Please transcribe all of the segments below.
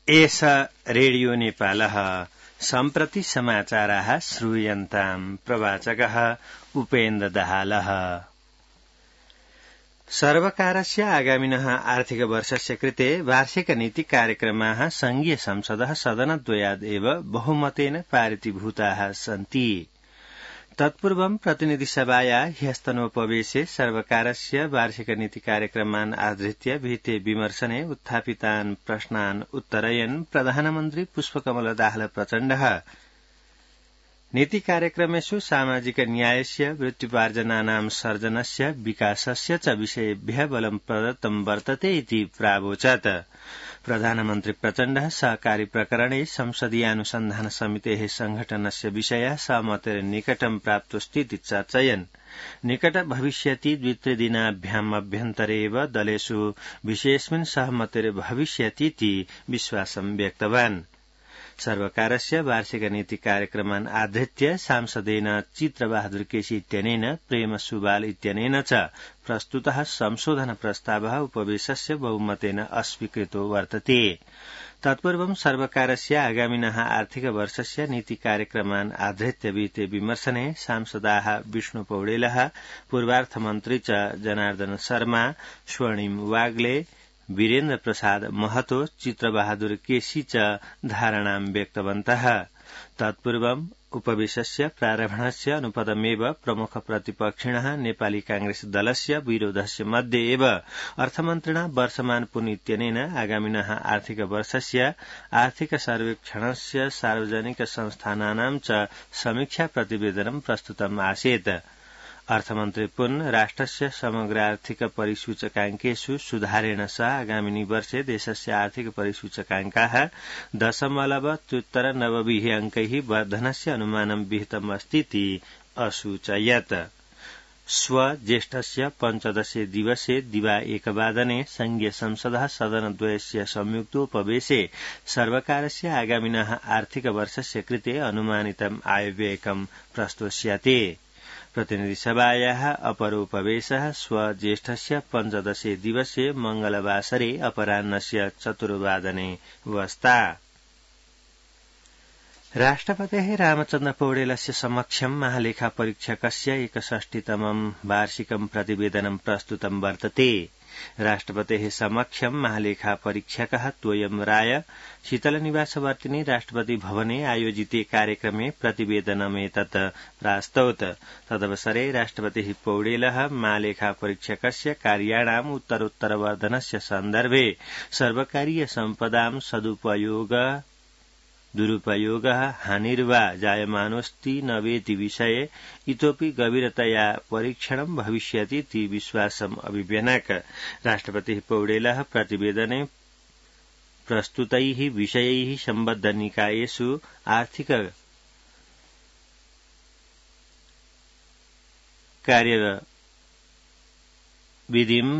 एष रेडियो नेपालः सम्प्रति समाचाराः श्रूयन्ताम् प्रवाचकः उपेन्द्र दाहालः। सर्वकारस्य आगामिनः आर्थिकवर्षस्य कृते वार्षिक नीति कार्यक्रमाः संघीय संसदः सदनद्वयादेव बहुमतेन पारितीभूताः सन्ति। तत्पूर्वं प्रतिनिधिसभाया ह्यस्तनोपवेशे सर्वकारस्य वार्षिक नीति कार्यक्रमान् आधृत्य विहिते विमर्शने उत्थापितान् प्रश्नान् उत्तरयन् प्रधानमन्त्री पुष्पकमल दाहाल प्रचण्डः नीति कार्यक्रमेषु सामाजिक न्यायस्य वृत्त्युपार्जनानां सर्जनस्य विकासस्य च विषयेभ्यः बलं प्रदत्तं वर्तते इति प्रावोचत्। प्रधानमन्त्री प्रचण्डः सहकारी प्रकरणे संसदीयानुसन्धान समितेः संघटनस्य विषयः सहमतेर निकटं प्राप्तोऽस्तीति चर्चयन् निकट भविष्यति द्वित्रिदिनाभ्याम् अभ्यन्तरे एव दलेषु विषयेऽस्मिन् सहमतेर भविष्यतीति विश्वासं व्यक्तवान्। सर्वकारस्य वार्षिक नीति कार्यक्रमान् आधृत्य सांसदेन चित्रबहादुर केसी इत्यनेन प्रेम सुवाल इत्यनेन च प्रस्तुतः संशोधन प्रस्तावः उपवेशस्य बहुमतेन अस्वीकृतो वर्तते। तत्पूर्वं सर्वकारस्य आगामिनः आर्थिक वर्षस्य नीति कार्यक्रमान् आधृत्य विहिते विमर्शने सांसदाः विष्णु पौडेलः, पूर्वार्थमन्त्री च जनार्दन शर्मा, स्वर्णिम वाग्ले, वीरेन्द्र प्रसाद महतो, चित्रबहादुर केसी च धारणां व्यक्तवन्तः। तत्पूर्वम् उपवेशस्य प्रारम्भणस्य अनुपदमेव प्रमुख प्रतिपक्षिणः नेपाली कांग्रेस दलस्य विरोधस्य मध्ये एव अर्थमन्त्रिणा वर्षमान पुन इत्यनेन आगामिनः आर्थिक वर्षस्य आर्थिक सर्वेक्षणस्य सार्वजनिक संस्थानानां च समीक्षा प्रतिवेदनं प्रस्तुतम् आसीत्। अर्थमन्त्री पुन राष्ट्रस्य समग्र आर्थिक परिसूचकाङ्केषु सुधारेण सह आगामिनि वर्षे देशस्य आर्थिक परिसूचकाङ्काः 0.93 अङ्कैः वर्धनस्य अनुमानं विहितम् अस्तीति असूचयत्। ज्येष्ठस्य 15 दिवसे दिवा 1 वादने संघीय संसदः सदनद्वयस्य संयुक्तोपवेशे सर्वकारस्य आगामिनः आर्थिक वर्षस्य कृते अनुमानितम् आयव्ययकं प्रस्तोष्यते। प्रतिनिधिसभायाः अपरोपवेशः ज्येष्ठस्य 15 दिवसे मंगलवासरे अपराह्नस्य 4 वादने वस्ता। राष्ट्रपतेः रामचन्द्र पौडेलस्य समक्षं महालेखा परीक्षकस्य 61तमं वार्षिकं प्रतिवेदनं प्रस्तुतं वर्तते। राष्ट्रपतेः समक्षं महालेखा परीक्षकः तोयम राय शीतलनिवासवर्तिनि राष्ट्रपति भवने आयोजिते कार्यक्रमे प्रतिवेदनमेतत् प्रास्तौत। तदवसरे राष्ट्रपतिः पौडेलः महालेखा परीक्षकस्य कार्याणाम् उत्तरोत्तरवर्धनस्य सन्दर्भे सर्वकारीय सम्पदां दुरुपयोगः हानिर्वा जायमानोऽस्ति न वेति विषये इतोपि गभीरतया परीक्षणं भविष्यतीति विश्वासम् अभिव्यनक्। राष्ट्रपतिः पौडेलः प्रतिवेदने प्रस्तुतैः विषयैः सम्बद्धनिकायेषु आर्थिक कार्यविधिं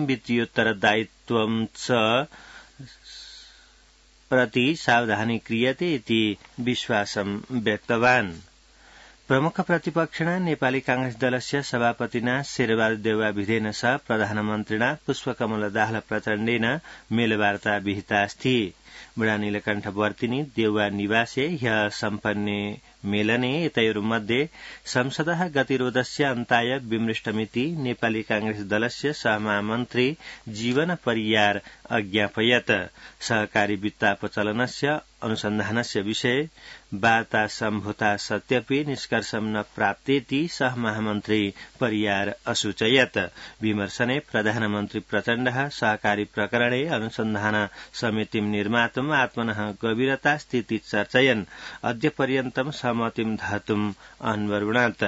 वित्तीयोत्तरदायित्वं च प्रति सावधानी क्रियते इति विश्वासं व्यक्तवान्। प्रमुख प्रतिपक्षिणा नेपाली कांग्रेस दलस्य सभापतिना शेरबहादुर देउवा विधेन सह प्रधानमन्त्रिणा पुष्पकमल दाहाल प्रचण्डेन मेलवार्ता विहितास्ति। बुढा नीलकण्ठवर्तिनि देउवा निवासे ह्यः सम्पन्ने मेलने एतयोर्मध्ये संसदः गतिरोधस्य अन्ताय विमृष्टमिति नेपाली कांग्रेस दलस्य सहमहामन्त्री जीवन परियार अज्ञापयत्। सहकारी वित्तापचलनस्य अनुसन्धानस्य विषये वार्ता सम्भूता सत्यपि निष्कर्षं न प्राप्तेति सहमहामन्त्री परियार असूचयत्। विमर्शने प्रधानमन्त्री प्रचण्डः सहकारी प्रकरणे अनुसन्धान समितिं निर्मातुम् आत्मनः गभीरता स्थिति चर्चयन् अद्य पर्यन्तं सहमतिं धातुम् अन्वरुणात्।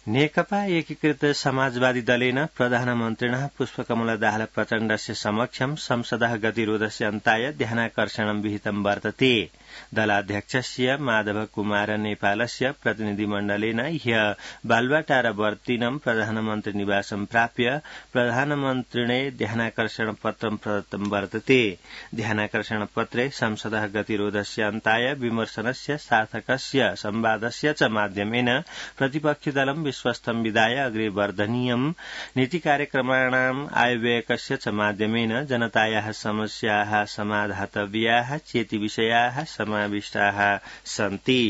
नेकपा एकीकृत समाजवादी दलेन प्रधानमन्त्रिणः पुष्पकमल दाहाल प्रचण्डस्य समक्षं संसदः गतिरोधस्य अन्ताय ध्यानाकर्षणं विहितं वर्तते। दलाध्यक्षस्य माधव कुमार नेपालस्य प्रतिनिधिमण्डलेन ह्यः बालुवाटारवर्तिनं प्रधानमन्त्री निवासं प्राप्य प्रधानमन्त्रिणे ध्यानाकर्षण पत्रं प्रदत्तं वर्तते। ध्यानाकर्षण पत्रे संसदः गतिरोधस्य अन्ताय विमर्शनस्य सार्थकस्य संवादस्य च माध्यमेन प्रतिपक्षिदलं स्वस्थं विधाय अग्रे वर्धनीयम् नीतिकार्यक्रमाणाम् आयव्ययकस्य च माध्यमेन जनतायाः समस्याः समाधातव्याः चेति विषयाः समाविष्टाः सन्ति।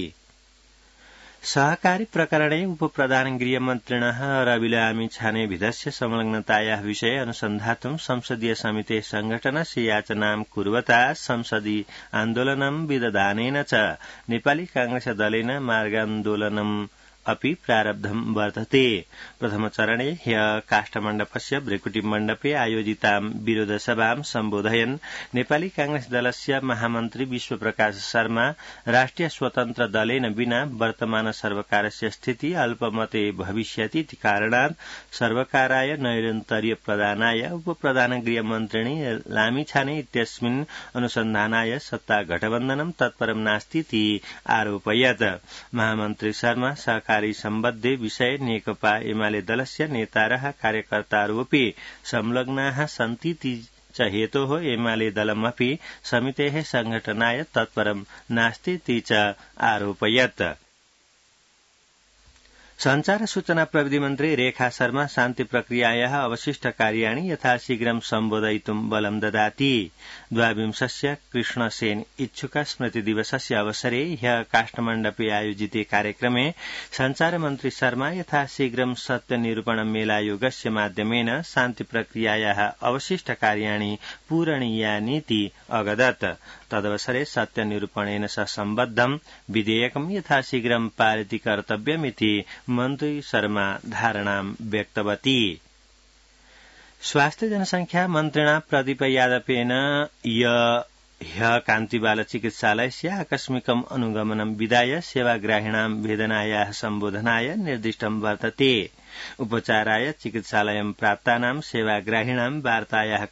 सहकारी प्रकरणे उपप्रधान गृहमन्त्रिणः रविलामिछानेविधस्य संलग्नतायाः विषये अनुसन्धातुं संसदीय समितेः संघटनस्य याचनां कुर्वता संसदि आन्दोलनं विदधानेन च नेपाली कांग्रेस दलेन मार्गान्दोलनम् अपि प्रारब्धं वर्तते। प्रथमचरणे ह्यः काष्ठमण्डपस्य भ्रेकुटी मण्डपे आयोजितां विरोधसभां सम्बोधयन् नेपाली कांग्रेस दलस्य महामन्त्री विश्वप्रकाश शर्मा राष्ट्रिय स्वतन्त्र दलेन विना वर्तमान सर्वकारस्य स्थिति अल्पमते भविष्यति इति कारणात् सर्वकाराय नैरन्तर्य प्रदानाय उपप्रधान गृहमन्त्रिणी लामिछाने इत्यस्मिन् अनुसन्धानाय सत्ता गठबन्धनं तत्परं नास्ति इति आरोपयत्। महामन्त्री शर्मा सहकारी सम्बद्धे विषये नेकपा एमाले दलस्य नेतारः कार्यकर्तारपि संलग्नाः सन्ति च हेतोः एमाले दलमपि समितेः संघटनाय तत्परं नास्ति इति च आरोपयत्। संचार सूचना प्रविधि मन्त्री रेखा शर्मा शान्ति प्रक्रियायाः अवशिष्ट कार्याणि यथाशीघ्रं सम्बोधयितुं बलं ददाति। द्वाविंशस्य कृष्णसेन इच्छुक स्मृति दिवसस्य अवसरे ह्यः काष्ठमण्डपे आयोजिते कार्यक्रमे संचार मन्त्री शर्मा यथाशीघ्रं सत्यनिरूपण मेलायोगस्य माध्यमेन शान्ति प्रक्रियायाः अवशिष्ट कार्याणि पूरणीयानीति अगदत्। तदवसरे सत्यनिरूपणेन सह सम्बद्धं विधेयकं यथाशीघ्रं पारित कर्तव्यमिति मन्त्री शर्मा धारणां व्यक्तवती। स्वास्थ्य जनसंख्या मन्त्रिणा प्रदीप यादवेन ह्यः कान्तिबाल चिकित्सालयस्य आकस्मिकम् अनुगमनं विधाय सेवाग्राहिणां वेदनायाः सम्बोधनाय निर्दिष्टं वर्तते। उपचाराय चिकित्सालयं प्राप्तानां सेवाग्राहिणां वार्तायाः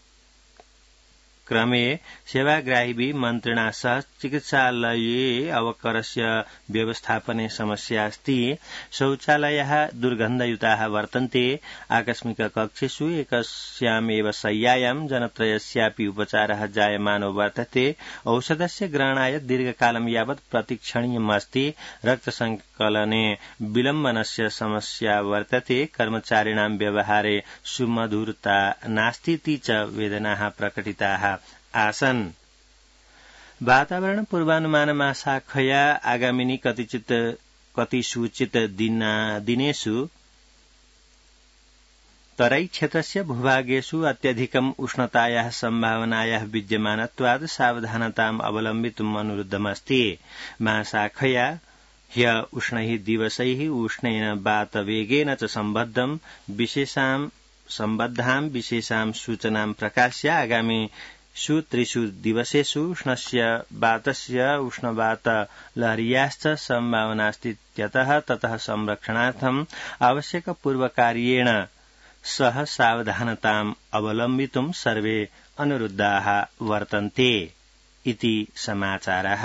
क्रमे सेवाग्राहिभिः मन्त्रिणा सह चिकित्सालये अवकरस्य व्यवस्थापने समस्या अस्ति। शौचालयाः दुर्गन्धयुताः वर्तन्ते। आकस्मिक कक्षेषु एकस्यामेव शय्यायां जनत्रयस्यापि उपचारः जायमानो वर्तते। औषधस्य ग्रहणाय दीर्घकालं यावत् प्रतीक्षणीयमस्ति। रक्तसंकलने विलम्बनस्य समस्या वर्तते। कर्मचारिणां व्यवहारे सुमधुरता नास्तीति च वेदनाः प्रकटिताः आसन्। वातावरण पूर्वानुमानमाशाखया आगामिनी कतिसूचित दिनेषु तराई क्षेत्रस्य भूभागेषु अत्यधिकम् उष्णतायाः सम्भावनायाः विद्यमानत्वात् सावधानताम् अवलम्बितुम् अनुरुद्धमस्ति। महाशाखया ह्यः उष्णैः दिवसैः उष्णेन वातवेगेन च सम्बद्धां विशेषां सूचनां प्रकाश्य आगामिषु 3 दिवसेषु उष्णस्य वातस्य उष्णवात लहर्याश्च सम्भावनास्ति। ततः संरक्षणार्थम् आवश्यक पूर्वकार्येण सह सावधानताम् अवलम्बितुं सर्वे अनुरुद्धाः वर्तन्ते इति समाचारः।